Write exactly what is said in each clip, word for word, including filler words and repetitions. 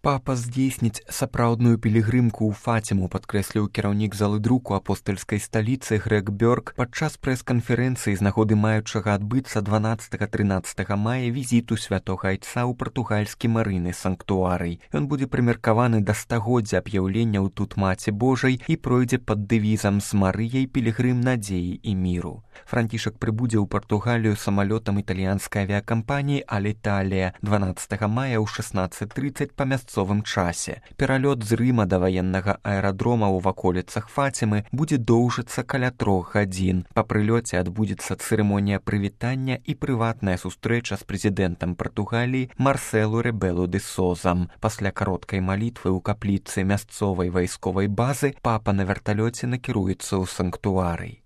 Папа здзейсніць сапраўдную пілігрымку ў Фаціму, падкрэсліў кіраўнік залы друку апостальскай сталіцы Грег Бёрк падчас прэс-канферэнцыі з нагоды маючага адбыцца дванаццатага-трынаццатага мая візіту святога айца ў партугальскі марыны санктуарый. Ён будзе прымеркаваны да стагоддзя аб'яўленняў тут Маці Божай і пройдзе пад дэвізам з Марыяй пілігрым надзеі і міру. Францішак прыбудзе ў Партугалію самалётам італьянскай авіякампаніі Аліталія дванаццатага мая ў шэснаццаць трыццаць па мясцовым часе. Пералёт з Рыма да ваеннага аэрадрома ў ваколіцах Фацімы будзе доўжыцца каля трох гадзін. Па прылёце адбудзецца цырымонія прывітання і прыватная сустрэча з прэзідэнтам Партугаліі Марселу Ребелу де Созам. Пасля кароткай малітвы ў капліцы мясцовай вайсковай базы папа на верталёце накіруецца ў санктуарый.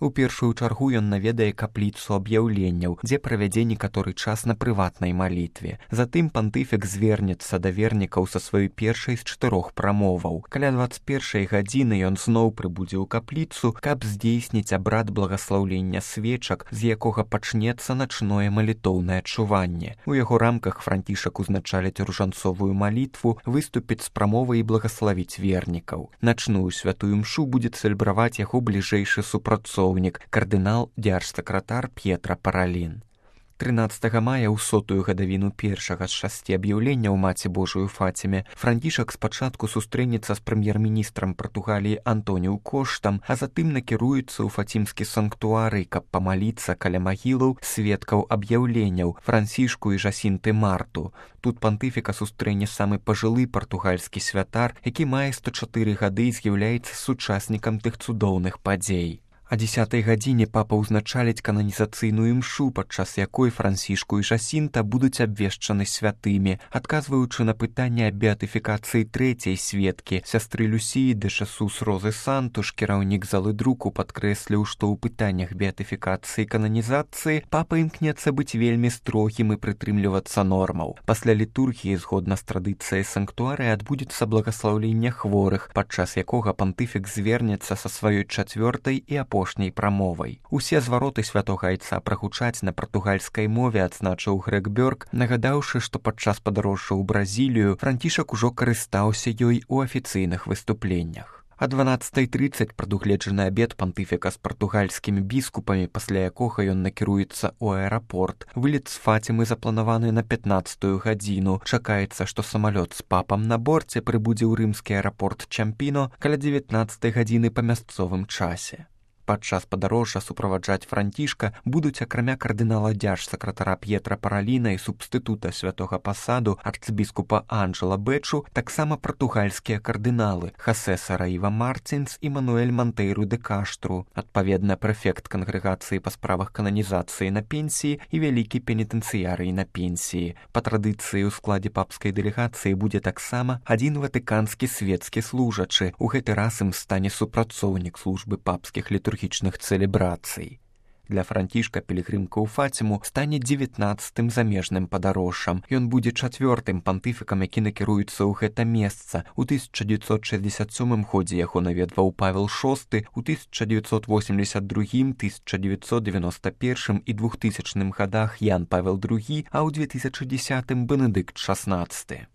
У першую чаргу ён наведае капліцу аб'яўленняў, дзе правядзе некаторы час на прыватнай малітве. Затым пантыфік звернецца да вернікаў са сваёй першай з чатырох прамоваў. Каля дваццаць першай гадзіны ён зноў прыбудзе ў капліцу, каб здзейсніць абрад благаслаўлення свечак, з якога пачнецца начное малітоўнае чуванне. У яго рамках Францішак узначаліць ружанцовую малітву, выступіць з прамовай і благаславіць вернікаў. Начную святую мшу будзе цэлебраваць яго бліжэйшы супрацоўнік, кардынал дзяржсакратар П'етра Паралін. трынаццатага мая ў сотую гадавіну першага з шасці аб'яўленняў Маці Божую Фаціме Францішак спачатку сустрэнецца з прэм'ер-міністрам Партугаліі Антоніу Коштам, а затым накіруецца ў фацімскі санктуарый, каб памаліцца каля магілаў сведкаў аб'яўленняў Францішку і Жасінты Марту. Тут пантыфіка сустрэне самы пажылы партугальскі святар, які мае сто чатыры гады і з'яўляецца сучаснікам тых цудоўных падзей. А дзесятай гадзіне папа ўзначаліць кананізацыйную імшу, падчас якой Францішку і Жасінта будуць абвешчаны святымі. Адказваючы на пытанне аб беатыфікацыі трэцяй сведкі, сястры Люсіі де Шесус Розы Сантуш, кіраўнік залы друку падкрэсліў, што ў пытаннях беатыфікацыі і кананізацыі папа імкнецца быць вельмі строгім і прытрымлівацца нормаў. Пасля літургіі, згодна з традыцыяй санктуарыя, адбудзецца благаслаўленне хворых, падчас якога пантыфік звернецца са сваёй чацвёртай і апошняй прамовай. Усе звароты святога айца прагучаць на партугальскай мове, адзначыў Грег Бёрк, нагадаўшы, што падчас падарожжа ў Бразілію Францішак ужо карыстаўся ёй у афіцыйных выступленнях. А дванаццатай трыццаць прадугледжаны абед пантыфіка з партугальскімі біскупамі, пасля якога ён накіруецца ў аэрапорт. Вылет з Фацімы запланаваны на пятнаццатую гадзіну. Чакаецца, што самалёт з папам на борце прыбудзе ў рымскі аэрапорт Чампіно каля дзевятнаццатай гадзіны па мясцовым часе. Падчас падарожжа суправаджаць Францішка будуць акрамя кардынала дзяржсакратара П'етра Параліна і субстытута святога пасаду арцыбіскупа Анджела Бэчу, таксама партугальскія кардыналы Хосе Сараіва Мартинс і Мануэль Монтейру де Каштру, адпаведна прэфект кангрэгацыі па справах кананізацыі на пенсіі і вялікі пенітэнцыярый на пенсіі. Па традыцыі ў складзе папскай дэлегацыі будзе таксама адзін ватыканскі свецкі служачы. У гэты раз ім стане супрацоўнік службы папскіх літургічных цэлебрацый. Для Францішка пілігрымка ў Фаціму стане дзевятнаццатым замежным падарожжам. Ён будзе чацвёртым пантыфікам, які накіруецца ў гэта месца. У тысяча дзевяцьсот шэсцьдзесят сёмым годзе яго наведваў Павел шосты, у тысяча дзевяцьсот восемьдесят другім, тысяча дзевяцьсот девяносто першым і двухтысячным гадах Ян Павел другі, а ў две тысячы дзесятым Бенедыкт шаснаццаты.